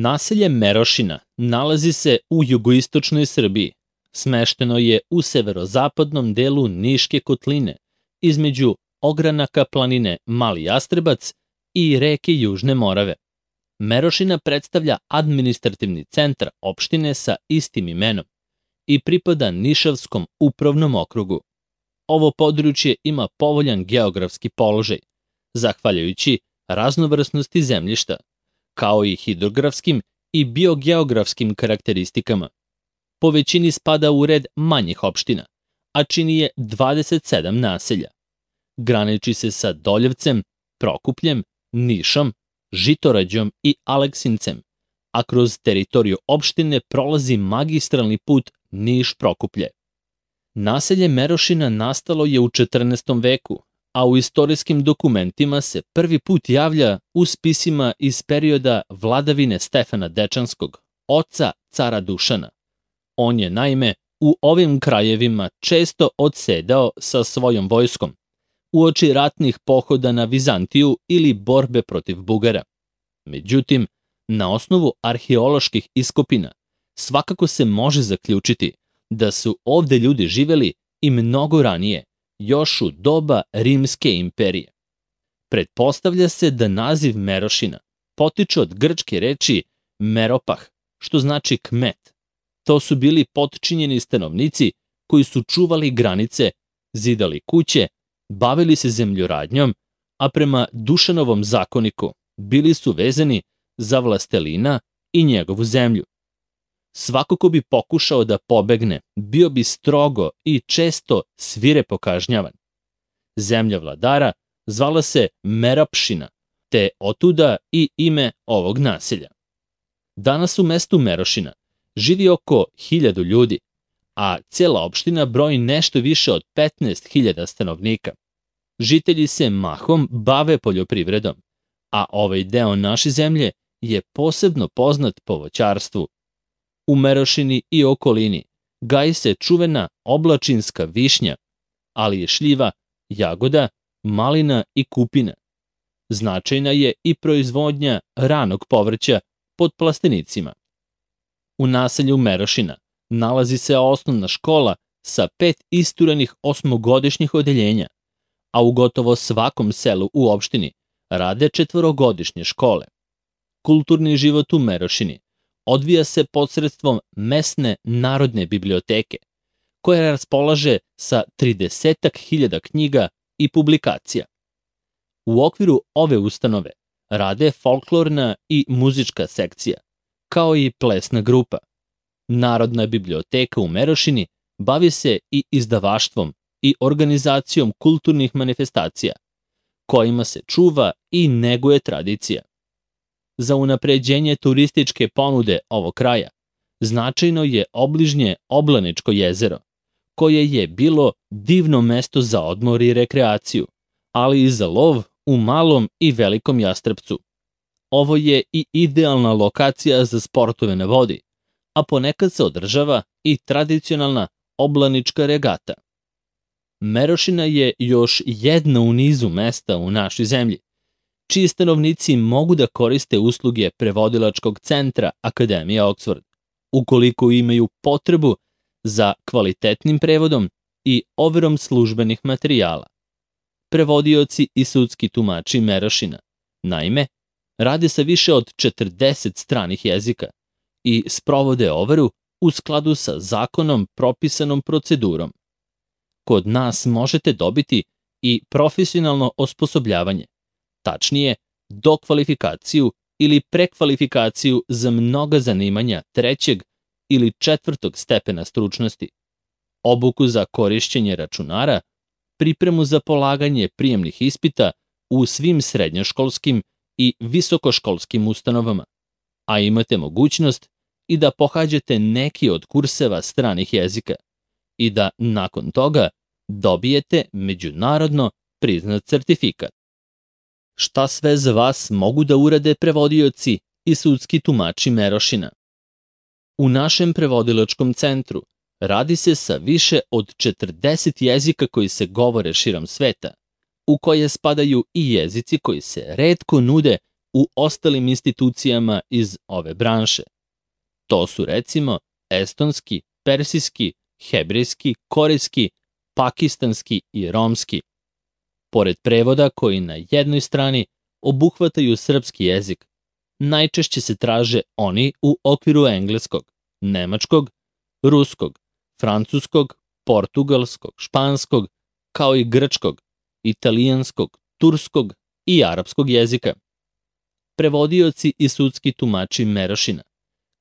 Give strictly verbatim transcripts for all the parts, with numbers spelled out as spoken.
Naselje Merošina nalazi se u jugoistočnoj Srbiji. Smešteno je u severozapadnom delu Niške kotline, između ogranaka planine Mali Jastrebac i reke Južne Morave. Merošina predstavlja administrativni centar opštine sa istim imenom i pripada Nišavskom upravnom okrugu. Ovo područje ima povoljan geografski položaj, zahvaljujući raznovrsnosti zemljišta, kao i hidrografskim i biogeografskim karakteristikama. Po većini spada u red manjih opština, a čini je dvadeset sedam naselja. Graniči se sa Doljevcem, Prokupljem, Nišom, Žitorađom i Aleksincem, a kroz teritoriju opštine prolazi magistralni put Niš-Prokuplje. Naselje Merošina nastalo je u četrnaestom veku, a u istorijskim dokumentima se prvi put javlja u spisima iz perioda vladavine Stefana Dečanskog, oca cara Dušana. On je, naime, u ovim krajevima često odsedao sa svojom vojskom, uoči ratnih pohoda na Vizantiju ili borbe protiv Bugara. Međutim, na osnovu arheoloških iskopina svakako se može zaključiti da su ovde ljudi živeli i mnogo ranije, još u doba Rimske imperije. Pretpostavlja se da naziv Merošina potiče od grčke reči meropah, što znači kmet. To su bili potčinjeni stanovnici koji su čuvali granice, zidali kuće, bavili se zemljoradnjom, a prema Dušanovom zakoniku bili su vezani za vlastelina i njegovu zemlju. Svako ko bi pokušao da pobegne, bio bi strogo i često svirepo kažnjavan. Zemlja vladara zvala se Merapšina, te otuda i ime ovog naselja. Danas u mestu Merošina živi oko hiljadu ljudi, a cijela opština broji nešto više od petnaest hiljada stanovnika. Žitelji se mahom bave poljoprivredom, a ovaj deo naše zemlje je posebno poznat po voćarstvu. U Merošini i okolini gaji se čuvena oblačinska višnja, ali je šljiva, jagoda, malina i kupina. Značajna je i proizvodnja ranog povrća pod plastenicima. U naselju Merošina nalazi se osnovna škola sa pet isturenih osmogodišnjih odeljenja, a u gotovo svakom selu u opštini rade četvorogodišnje škole. Kulturni život u Merošini odvija se posredstvom mesne narodne biblioteke, koja raspolaže sa tridesetak hiljada knjiga i publikacija. U okviru ove ustanove rade folklorna i muzička sekcija, kao i plesna grupa. Narodna biblioteka u Merošini bavi se i izdavaštvom i organizacijom kulturnih manifestacija, kojima se čuva i neguje tradicija. Za unapređenje turističke ponude ovog kraja značajno je obližnje Oblaničko jezero, koje je bilo divno mesto za odmor i rekreaciju, ali i za lov u Malom i Velikom Jastrebcu. Ovo je i idealna lokacija za sportove na vodi, a ponekad se održava i tradicionalna oblanička regata. Merošina je još jedna u nizu mesta u našoj zemlji, čiji stanovnici mogu da koriste usluge prevodilačkog centra Akademije Oxford, ukoliko imaju potrebu za kvalitetnim prevodom i overom službenih materijala. Prevodioci i sudski tumači Merošina, naime, rade sa više od četrdeset stranih jezika i sprovode overu u skladu sa zakonom propisanom procedurom. Kod nas možete dobiti i profesionalno osposobljavanje, tačnije dokvalifikaciju ili prekvalifikaciju za mnoga zanimanja trećeg ili četvrtog stepena stručnosti, obuku za korišćenje računara, pripremu za polaganje prijemnih ispita u svim srednjoškolskim i visokoškolskim ustanovama, a imate mogućnost i da pohađate neki od kurseva stranih jezika i da nakon toga dobijete međunarodno priznat certifikat. Šta sve za vas mogu da urade prevodioci i sudski tumači Merošina? U našem prevodilačkom centru radi se sa više od četrdeset jezika koji se govore širom sveta, u koje spadaju i jezici koji se retko nude u ostalim institucijama iz ove branše. To su recimo estonski, persijski, hebrejski, korejski, pakistanski i romski. Pored prevoda koji na jednoj strani obuhvataju srpski jezik, najčešće se traže oni u okviru engleskog, nemačkog, ruskog, francuskog, portugalskog, španskog, kao i grčkog, italijanskog, turskog i arapskog jezika. Prevodioci i sudski tumači Merošina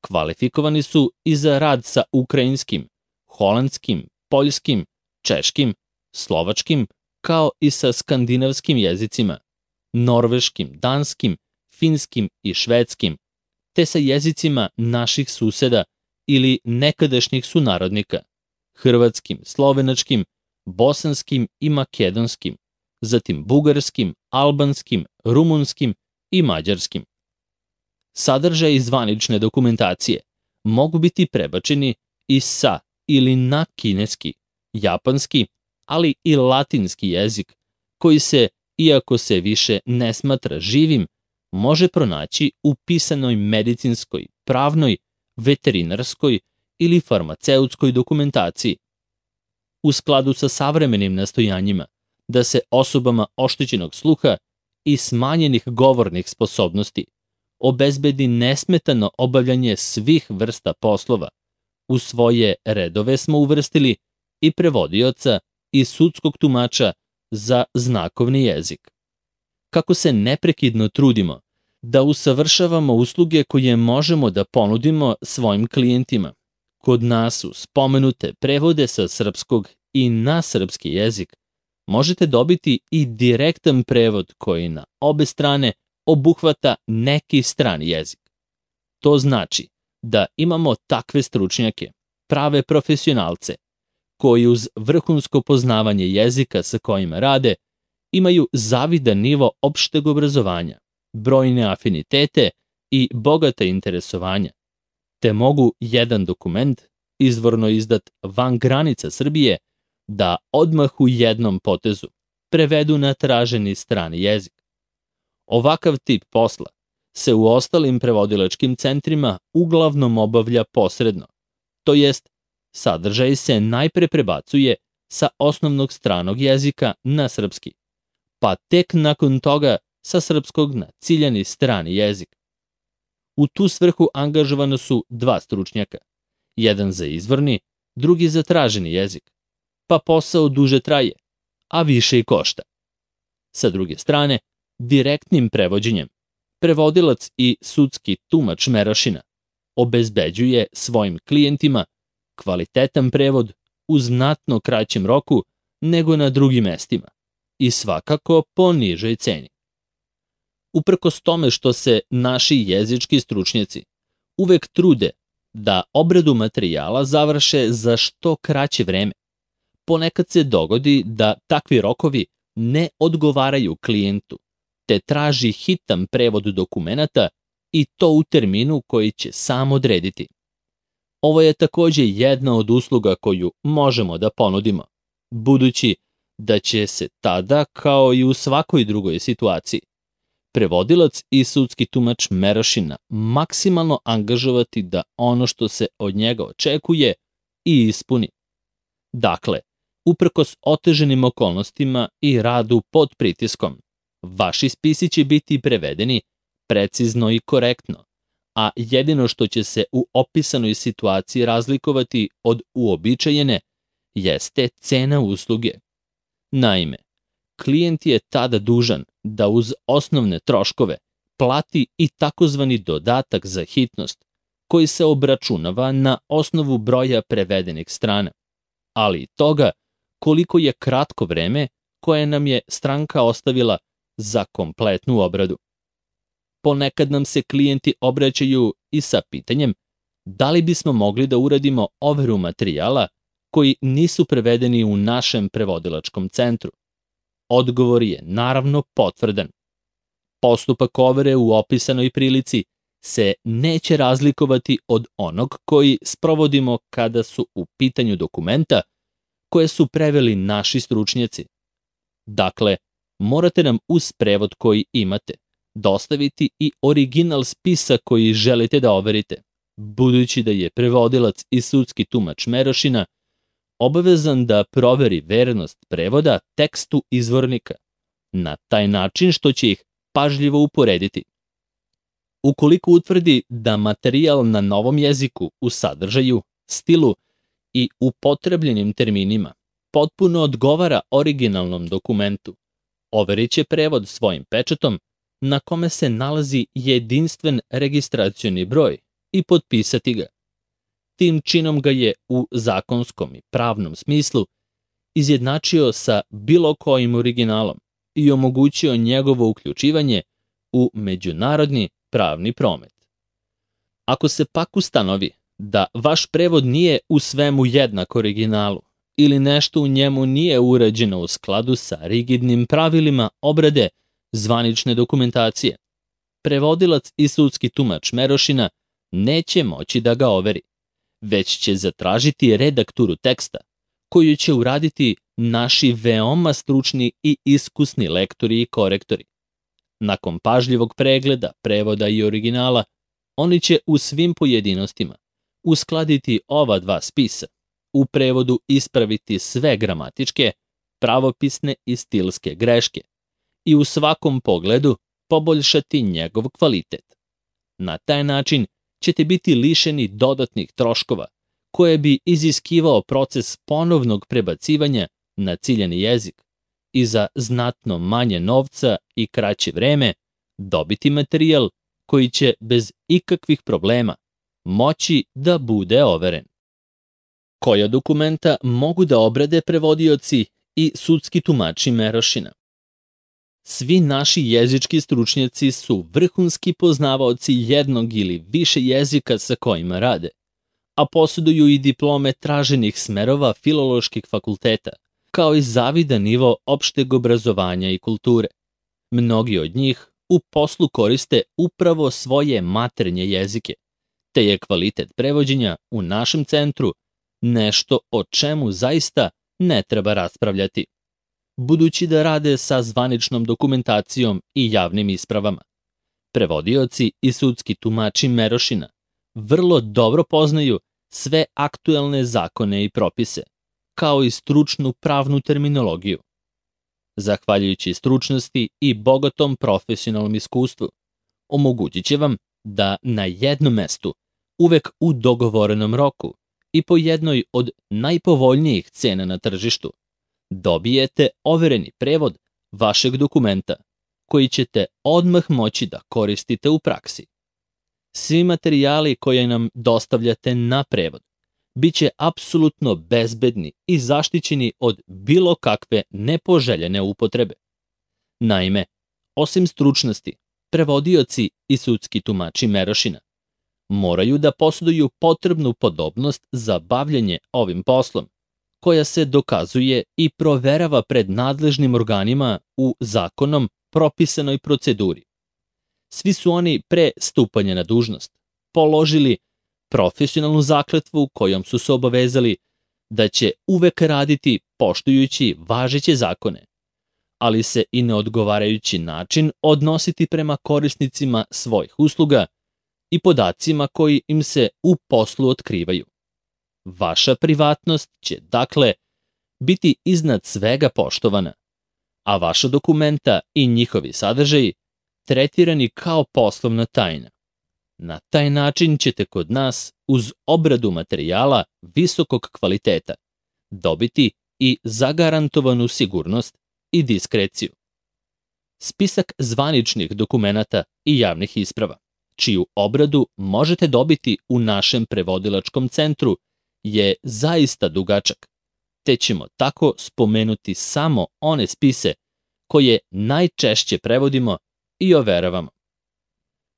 kvalifikovani su i za rad sa ukrajinskim, holandskim, poljskim, češkim, slovačkim, kao i sa skandinavskim jezicima, norveškim, danskim, finskim i švedskim, te sa jezicima naših suseda ili nekadašnjih sunarodnika, hrvatskim, slovenačkim, bosanskim i makedonskim, zatim bugarskim, albanskim, rumunskim i mađarskim. Sadržaj zvanične dokumentacije mogu biti prebačeni i sa ili na kineski, japanski, ali i latinski jezik, koji se, iako se više ne smatra živim, može pronaći u pisanoj medicinskoj, pravnoj, veterinarskoj ili farmaceutskoj dokumentaciji. U skladu sa savremenim nastojanjima da se osobama oštećenog sluha i smanjenih govornih sposobnosti obezbedi nesmetano obavljanje svih vrsta poslova, u svoje redove smo uvrstili i prevodioca i sudskog tumača za znakovni jezik. Kako se neprekidno trudimo da usavršavamo usluge koje možemo da ponudimo svojim klijentima, kod nas su spomenute prevode sa srpskog i na srpski jezik, možete dobiti i direktan prevod koji na obe strane obuhvata neki strani jezik. To znači da imamo takve stručnjake, prave profesionalce, koji uz vrhunsko poznavanje jezika sa kojima rade, imaju zavidan nivo opšteg obrazovanja, brojne afinitete i bogata interesovanja, te mogu jedan dokument, izvorno izdat van granica Srbije, da odmah u jednom potezu prevedu na traženi strani jezik. Ovakav tip posla se u ostalim prevodilačkim centrima uglavnom obavlja posredno, to jest sadržaj se najpre prebacuje sa osnovnog stranog jezika na srpski, pa tek nakon toga sa srpskog na ciljani strani jezik. U tu svrhu angažovana su dva stručnjaka, jedan za izvorni, drugi za traženi jezik, pa posao duže traje, a više i košta. Sa druge strane, direktnim prevođenjem, prevodilac i sudski tumač Merošina obezbeđuje svojim klijentima kvalitetan prevod u znatno kraćem roku nego na drugim mestima i svakako po nižoj ceni. Uprkos tome što se naši jezički stručnjaci uvek trude da obradu materijala završe za što kraće vreme, ponekad se dogodi da takvi rokovi ne odgovaraju klijentu, te traži hitan prevod dokumenata i to u terminu koji će sam odrediti. Ovo je takođe jedna od usluga koju možemo da ponudimo, budući da će se tada, kao i u svakoj drugoj situaciji, prevodilac i sudski tumač Merošina maksimalno angažovati da ono što se od njega očekuje i ispuni. Dakle, uprkos oteženim okolnostima i radu pod pritiskom, vaši spisi će biti prevedeni precizno i korektno, a jedino što će se u opisanoj situaciji razlikovati od uobičajene jeste cena usluge. Naime, klijent je tada dužan da uz osnovne troškove plati i takozvani dodatak za hitnost, koji se obračunava na osnovu broja prevedenih strana, ali i toga koliko je kratko vreme koje nam je stranka ostavila za kompletnu obradu. Ponekad nam se klijenti obraćaju i sa pitanjem da li bismo mogli da uradimo overu materijala koji nisu prevedeni u našem prevodilačkom centru. Odgovor je naravno potvrdan. Postupak overe u opisanoj prilici se neće razlikovati od onog koji sprovodimo kada su u pitanju dokumenta koje su preveli naši stručnjaci. Dakle, morate nam uz prevod koji imate dostaviti i original spisa koji želite da overite, budući da je prevodilac i sudski tumač Merošina obavezan da proveri vernost prevoda tekstu izvornika, na taj način što će ih pažljivo uporediti. Ukoliko utvrdi da materijal na novom jeziku u sadržaju, stilu i upotrebljenim terminima potpuno odgovara originalnom dokumentu, overit će prevod svojim pečatom na kome se nalazi jedinstven registracioni broj i potpisati ga. Tim činom ga je u zakonskom i pravnom smislu izjednačio sa bilo kojim originalom i omogućio njegovo uključivanje u međunarodni pravni promet. Ako se pak ustanovi da vaš prevod nije u svemu jednak originalu ili nešto u njemu nije urađeno u skladu sa rigidnim pravilima obrade zvanične dokumentacije, prevodilac i sudski tumač Merošina neće moći da ga overi, već će zatražiti redakturu teksta, koju će uraditi naši veoma stručni i iskusni lektori i korektori. Nakon pažljivog pregleda, prevoda i originala, oni će u svim pojedinostima uskladiti ova dva spisa, u prevodu ispraviti sve gramatičke, pravopisne i stilske greške i u svakom pogledu poboljšati njegov kvalitet. Na taj način ćete biti lišeni dodatnih troškova koje bi iziskivao proces ponovnog prebacivanja na ciljani jezik i za znatno manje novca i kraće vreme dobiti materijal koji će bez ikakvih problema moći da bude overen. Koja dokumenta mogu da obrade prevodioci i sudski tumači Merošina? Svi naši jezički stručnjaci su vrhunski poznavaoci jednog ili više jezika sa kojima rade, a posjeduju i diplome traženih smerova filoloških fakulteta, kao i zavidan nivo opšteg obrazovanja i kulture. Mnogi od njih u poslu koriste upravo svoje maternje jezike, te je kvalitet prevođenja u našem centru nešto o čemu zaista ne treba raspravljati, budući da rade sa zvaničnom dokumentacijom i javnim ispravama. Prevodioci i sudski tumači Merošina vrlo dobro poznaju sve aktuelne zakone i propise, kao i stručnu pravnu terminologiju. Zahvaljujući stručnosti i bogatom profesionalnom iskustvu, omogućit će vam da na jednom mestu, uvek u dogovorenom roku i po jednoj od najpovoljnijih cena na tržištu, dobijete overeni prevod vašeg dokumenta, koji ćete odmah moći da koristite u praksi. Svi materijali koje nam dostavljate na prevod biće apsolutno bezbedni i zaštićeni od bilo kakve nepoželjene upotrebe. Naime, osim stručnosti, prevodioci i sudski tumači Merošina moraju da posjeduju potrebnu podobnost za bavljenje ovim poslom, koja se dokazuje i proverava pred nadležnim organima u zakonom propisanoj proceduri. Svi su oni pre stupanja na dužnost položili profesionalnu zakletvu kojom su se obavezali da će uvek raditi poštujući važeće zakone, ali se i na odgovarajući način odnositi prema korisnicima svojih usluga i podacima koji im se u poslu otkrivaju. Vaša privatnost će, dakle, biti iznad svega poštovana, a vaša dokumenta i njihovi sadržaji tretirani kao poslovna tajna. Na taj način ćete kod nas, uz obradu materijala visokog kvaliteta, dobiti i zagarantovanu sigurnost i diskreciju. Spisak zvaničnih dokumenata i javnih isprava, čiju obradu možete dobiti u našem prevodilačkom centru, je zaista dugačak, te ćemo tako spomenuti samo one spise koje najčešće prevodimo i overavamo.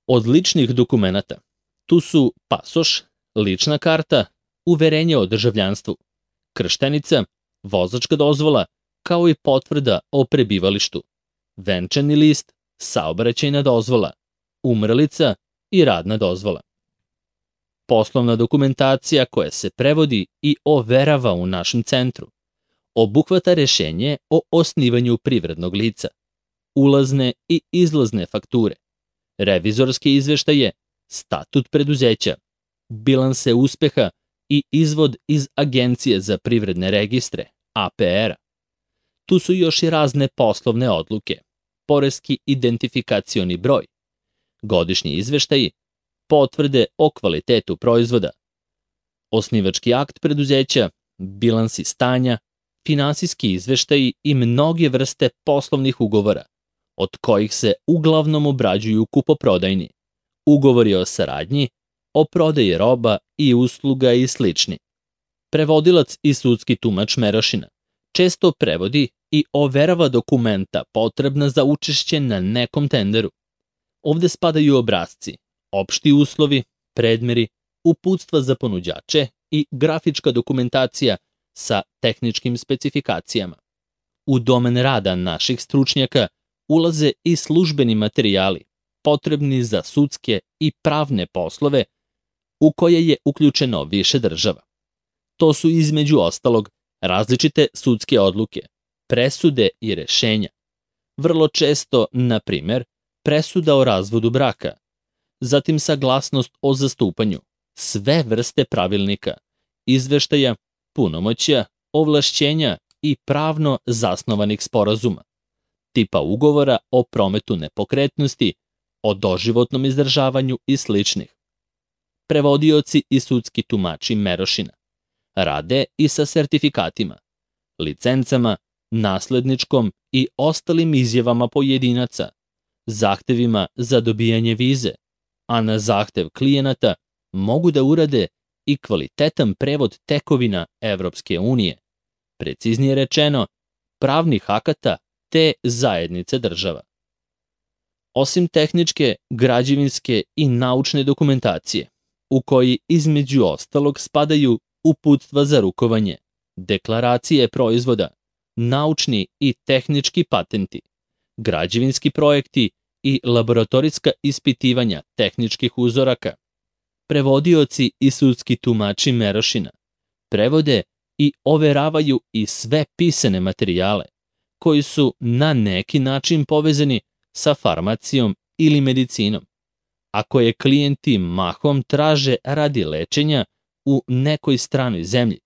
Od ličnih dokumenata tu su pasoš, lična karta, uverenje o državljanstvu, krštenica, vozačka dozvola, kao i potvrda o prebivalištu, venčani list, saobraćajna dozvola, umrlica i radna dozvola. Poslovna dokumentacija koja se prevodi i overava u našem centru obuhvata rešenje o osnivanju privrednog lica, ulazne i izlazne fakture, revizorske izveštaje, statut preduzeća, bilanse uspeha i izvod iz Agencije za privredne registre, A P R-a. Tu su još i razne poslovne odluke, poreski identifikacioni broj, godišnji izveštaji, potvrde o kvalitetu proizvoda, osnivački akt preduzeća, bilansi stanja, finansijski izveštaji i mnoge vrste poslovnih ugovora, od kojih se uglavnom obrađuju kupoprodajni, ugovori o saradnji, o prodaji roba i usluga i slični. Prevodilac i sudski tumač Merošina često prevodi i overava dokumenta potrebna za učešće na nekom tenderu. Ovde spadaju obrasci, opšti uslovi, predmeri, uputstva za ponuđače i grafička dokumentacija sa tehničkim specifikacijama. U domen rada naših stručnjaka ulaze i službeni materijali, potrebni za sudske i pravne poslove u koje je uključeno više država. To su između ostalog različite sudske odluke, presude i rešenja. Vrlo često, na primer, presuda o razvodu braka, zatim saglasnost o zastupanju, sve vrste pravilnika, izveštaja, punomoćja, ovlašćenja i pravno zasnovanih sporazuma, tipa ugovora o prometu nepokretnosti, o doživotnom izdržavanju i sličnih. Prevodioci i sudski tumači Merošina rade i sa sertifikatima, licencama, nasledničkom i ostalim izjavama pojedinaca, zahtevima za dobijanje vize, a na zahtev klijenata mogu da urade i kvalitetan prevod tekovina Evropske unije, preciznije rečeno, pravnih akata te zajednice država. Osim tehničke, građevinske i naučne dokumentacije, u koji između ostalog spadaju uputstva za rukovanje, deklaracije proizvoda, naučni i tehnički patenti, građevinski projekti i laboratorijska ispitivanja tehničkih uzoraka. Prevodioci i sudski tumači Merošina prevode i overavaju i sve pisane materijale koji su na neki način povezani sa farmacijom ili medicinom, a koje klijenti mahom traže radi lečenja u nekoj stranoj zemlji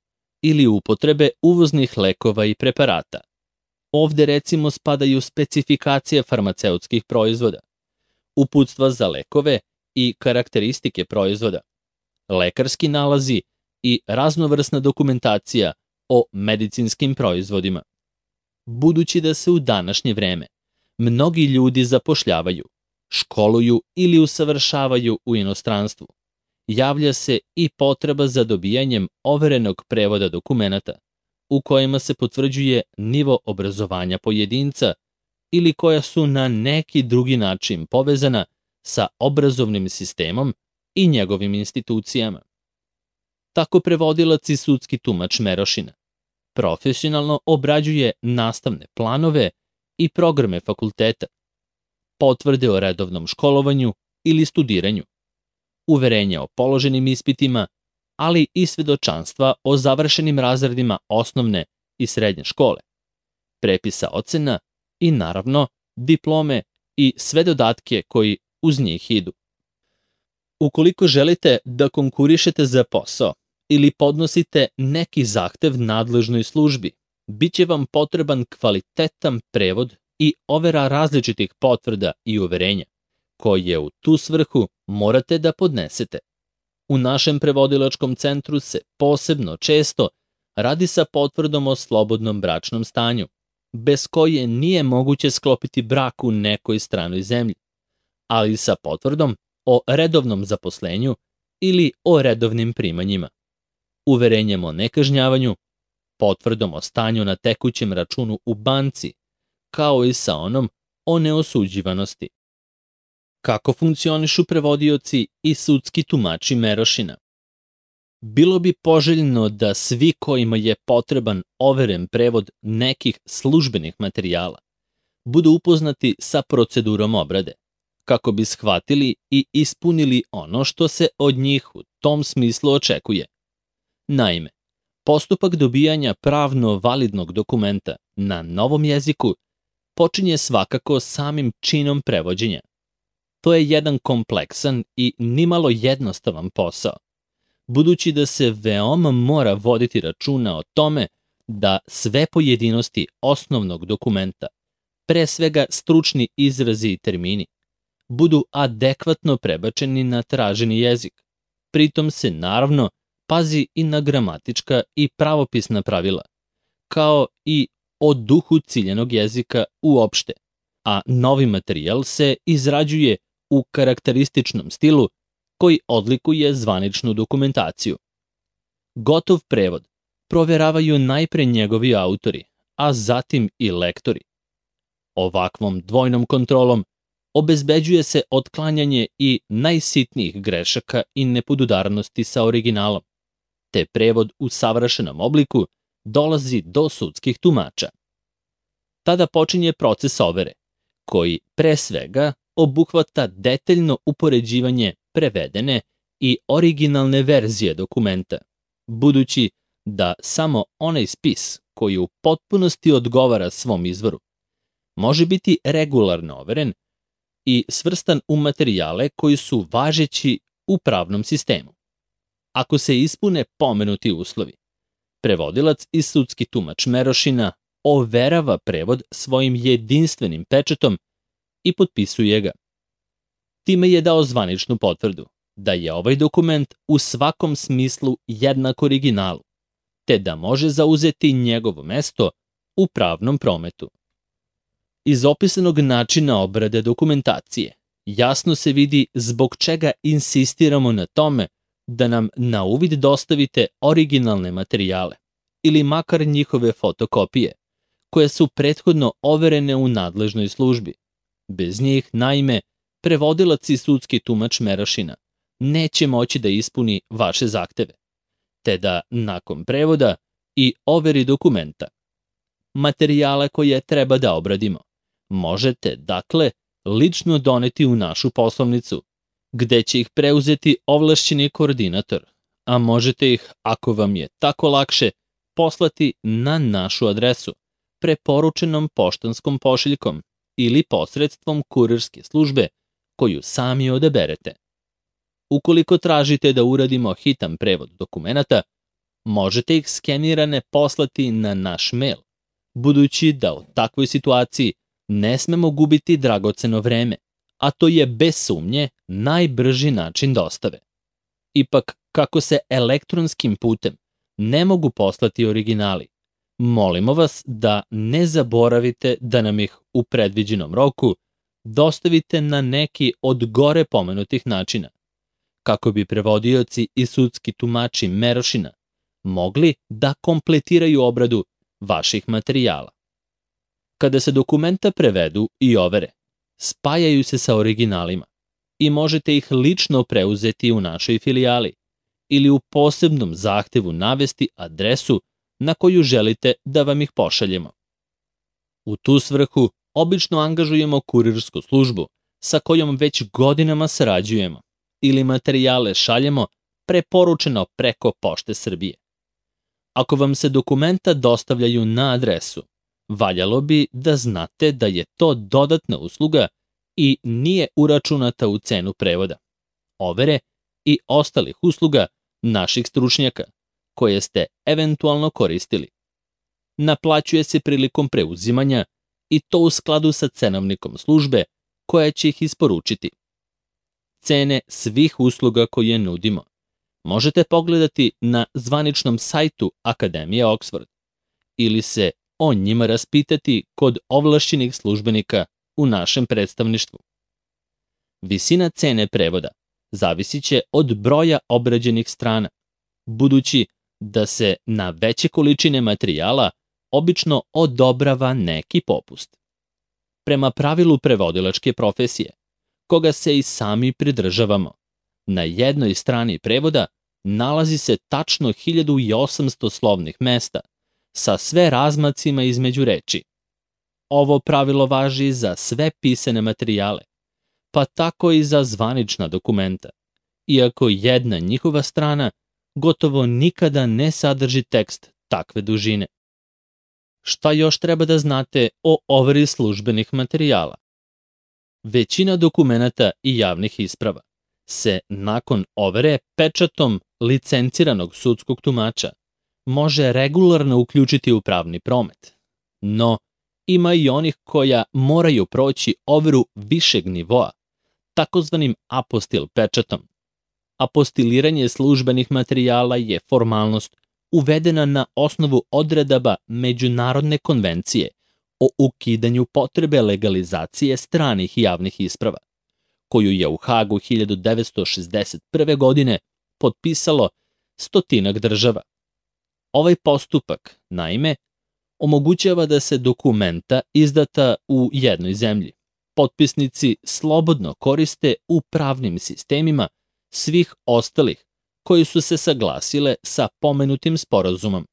ili upotrebe uvoznih lekova i preparata. Ovde recimo spadaju specifikacije farmaceutskih proizvoda, uputstva za lekove i karakteristike proizvoda, lekarski nalazi i raznovrsna dokumentacija o medicinskim proizvodima. Budući da se u današnje vreme mnogi ljudi zapošljavaju, školuju ili usavršavaju u inostranstvu, javlja se i potreba za dobijanjem overenog prevoda dokumenata u kojima se potvrđuje nivo obrazovanja pojedinca ili koja su na neki drugi način povezana sa obrazovnim sistemom i njegovim institucijama. Tako prevodilac i sudski tumač Merošina profesionalno obrađuje nastavne planove i programe fakulteta, potvrde o redovnom školovanju ili studiranju, uverenja o položenim ispitima, ali i svedočanstva o završenim razredima osnovne i srednje škole, prepisa ocena i naravno diplome i sve dodatke koji uz njih idu. Ukoliko želite da konkurišete za posao ili podnosite neki zahtev nadležnoj službi, biće vam potreban kvalitetan prevod i overa različitih potvrda i uverenja, koje u tu svrhu morate da podnesete. U našem prevodilačkom centru se posebno često radi sa potvrdom o slobodnom bračnom stanju, bez koje nije moguće sklopiti brak u nekoj stranoj zemlji, ali sa potvrdom o redovnom zaposlenju ili o redovnim primanjima, uverenjem o nekažnjavanju, potvrdom o stanju na tekućem računu u banci, kao i sa onom o neosuđivanosti. Kako funkcionišu prevodioci i sudski tumači Merošina? Bilo bi poželjno da svi kojima je potreban overen prevod nekih službenih materijala budu upoznati sa procedurom obrade, kako bi shvatili i ispunili ono što se od njih u tom smislu očekuje. Naime, postupak dobijanja pravno validnog dokumenta na novom jeziku počinje svakako samim činom prevođenja. To je jedan kompleksan i nimalo jednostavan posao, budući da se veoma mora voditi računa o tome da sve pojedinosti osnovnog dokumenta, pre svega stručni izrazi i termini, budu adekvatno prebačeni na traženi jezik. Pritom se naravno pazi i na gramatička i pravopisna pravila, kao i o duhu ciljenog jezika uopšte, a novi materijal se izrađuje u karakterističnom stilu koji odlikuje zvaničnu dokumentaciju. Gotov prevod proveravaju najpre njegovi autori, a zatim i lektori. Ovakvom dvojnom kontrolom obezbeđuje se otklanjanje i najsitnijih grešaka i nepodudarnosti sa originalom, te prevod u savršenom obliku dolazi do sudskih tumača. Tada počinje proces overe, koji pre svega obuhvata detaljno upoređivanje prevedene i originalne verzije dokumenta, budući da samo onaj spis koji u potpunosti odgovara svom izvoru može biti regularno overen i svrstan u materijale koji su važeći u pravnom sistemu. Ako se ispune pomenuti uslovi, prevodilac i sudski tumač Merošina overava prevod svojim jedinstvenim pečatom i potpisuje ga. Time je dao zvaničnu potvrdu da je ovaj dokument u svakom smislu jednak originalu, te da može zauzeti njegovo mesto u pravnom prometu. Iz opisanog načina obrade dokumentacije jasno se vidi zbog čega insistiramo na tome da nam na uvid dostavite originalne materijale ili makar njihove fotokopije, koje su prethodno overene u nadležnoj službi. Bez njih, naime, prevodilac i sudski tumač Merošina neće moći da ispuni vaše zahteve, te da nakon prevoda i overi dokumenta materijale koje treba da obradimo možete, dakle, lično doneti u našu poslovnicu, gde će ih preuzeti ovlašćeni koordinator, a možete ih, ako vam je tako lakše, poslati na našu adresu, preporučenom poštanskom pošiljkom ili posredstvom kurirske službe koju sami odaberete. Ukoliko tražite da uradimo hitan prevod dokumenata, možete ih skenirane poslati na naš mail, budući da u takvoj situaciji ne smemo gubiti dragoceno vreme, a to je bez sumnje najbrži način dostave. Ipak, kako se elektronskim putem ne mogu poslati originali, molimo vas da ne zaboravite da nam ih u predviđenom roku dostavite na neki od gore pomenutih načina, kako bi prevodioci i sudski tumači Merošina mogli da kompletiraju obradu vaših materijala. Kada se dokumenta prevedu i overe, spajaju se sa originalima i možete ih lično preuzeti u našoj filijali ili u posebnom zahtevu navesti adresu na koju želite da vam ih pošaljemo. U tu svrhu obično angažujemo kurirsku službu sa kojom već godinama sarađujemo ili materijale šaljemo preporučeno preko Pošte Srbije. Ako vam se dokumenta dostavljaju na adresu, valjalo bi da znate da je to dodatna usluga i nije uračunata u cenu prevoda, overe i ostalih usluga naših stručnjaka, koje ste eventualno koristili. Naplaćuje se prilikom preuzimanja i to u skladu sa cenovnikom službe koja će ih isporučiti. Cene svih usluga koje nudimo možete pogledati na zvaničnom sajtu Akademije Oxford ili se o njima raspitati kod ovlašćenih službenika u našem predstavništvu. Visina cene prevoda zavisit će od broja obrađenih strana, budući da se na veće količine materijala obično odobrava neki popust. Prema pravilu prevodilačke profesije, koga se i sami pridržavamo, na jednoj strani prevoda nalazi se tačno hiljadu osamsto slovnih mesta sa sve razmacima između reči. Ovo pravilo važi za sve pisane materijale, pa tako i za zvanična dokumenta, iako jedna njihova strana gotovo nikada ne sadrži tekst takve dužine. Šta još treba da znate o overi službenih materijala? Većina dokumenata i javnih isprava se nakon overe pečatom licenciranog sudskog tumača može regularno uključiti u pravni promet. No, ima i onih koja moraju proći overu višeg nivoa, takozvanim apostil pečatom. Apostiliranje službenih materijala je formalnost uvedena na osnovu odredaba Međunarodne konvencije o ukidanju potrebe legalizacije stranih javnih isprava, koju je u Hagu hiljadu devetsto šezdeset prve. godine potpisalo stotinak država. Ovaj postupak, naime, omogućava da se dokumenta izdata u jednoj zemlji potpisnici slobodno koriste u pravnim sistemima svih ostalih koji su se saglasile sa pomenutim sporazumom.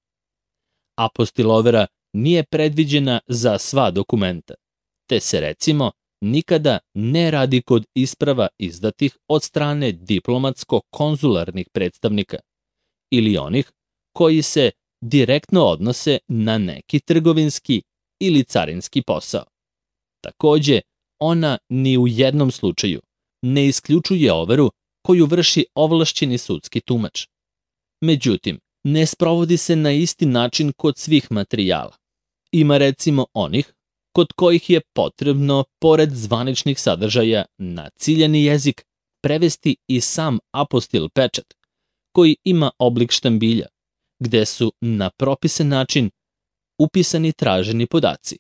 Apostilovera nije predviđena za sva dokumenta, te se recimo nikada ne radi kod isprava izdatih od strane diplomatsko-konzularnih predstavnika ili onih koji se direktno odnose na neki trgovinski ili carinski posao. Takođe, ona ni u jednom slučaju ne isključuje overu koju vrši ovlašćeni sudski tumač. Međutim, ne sprovodi se na isti način kod svih materijala. Ima recimo onih kod kojih je potrebno, pored zvaničnih sadržaja, na ciljani jezik prevesti i sam apostil pečat, koji ima oblik štambilja, gde su na propisan način upisani traženi podaci.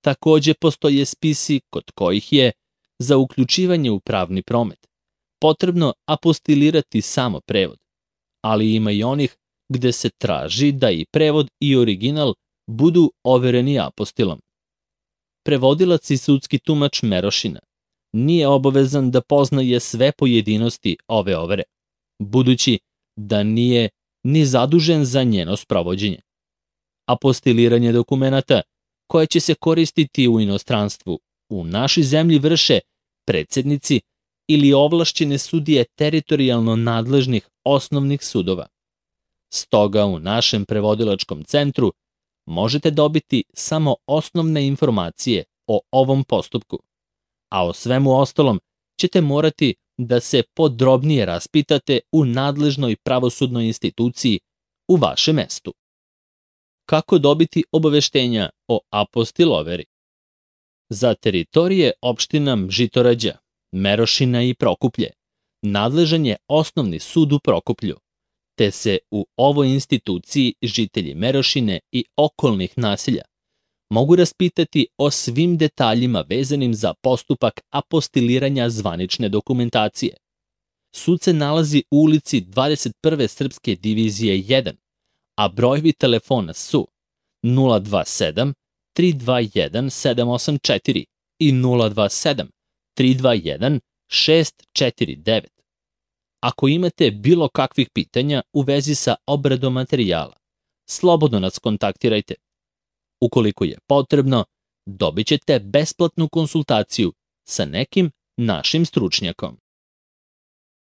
Takođe postoje spisi kod kojih je, za uključivanje u pravni promet, potrebno apostilirati samo prevod, ali ima i onih gde se traži da i prevod i original budu overeni apostilom. Prevodilac i sudski tumač Merošina nije obavezan da poznaje sve pojedinosti ove overe, budući da nije ni zadužen za njeno sprovođenje. Apostiliranje dokumenata koje će se koristiti u inostranstvu u našoj zemlji vrše predsednici ili ovlašćene sudije teritorijalno nadležnih osnovnih sudova. Stoga u našem prevodilačkom centru možete dobiti samo osnovne informacije o ovom postupku, a o svemu ostalom ćete morati da se podrobnije raspitate u nadležnoj pravosudnoj instituciji u vašem mestu. Kako dobiti obaveštenja o apostiloveri? Za teritorije opština Žitorađa, Merošina i Prokuplje nadležan je osnovni sud u Prokuplju, te se u ovoj instituciji žitelji Merošine i okolnih naselja mogu raspitati o svim detaljima vezanim za postupak apostiliranja zvanične dokumentacije. Sud se nalazi u ulici dvadeset prve Srpske divizije jedan, a brojevi telefona su nula dva sedam tri dva jedan sedam osam četiri i nula dva sedam tri dva jedan šest četiri devet. Ako imate bilo kakvih pitanja u vezi sa obradom materijala, slobodno nas kontaktirajte. Ukoliko je potrebno, dobit ćete besplatnu konsultaciju sa nekim našim stručnjakom.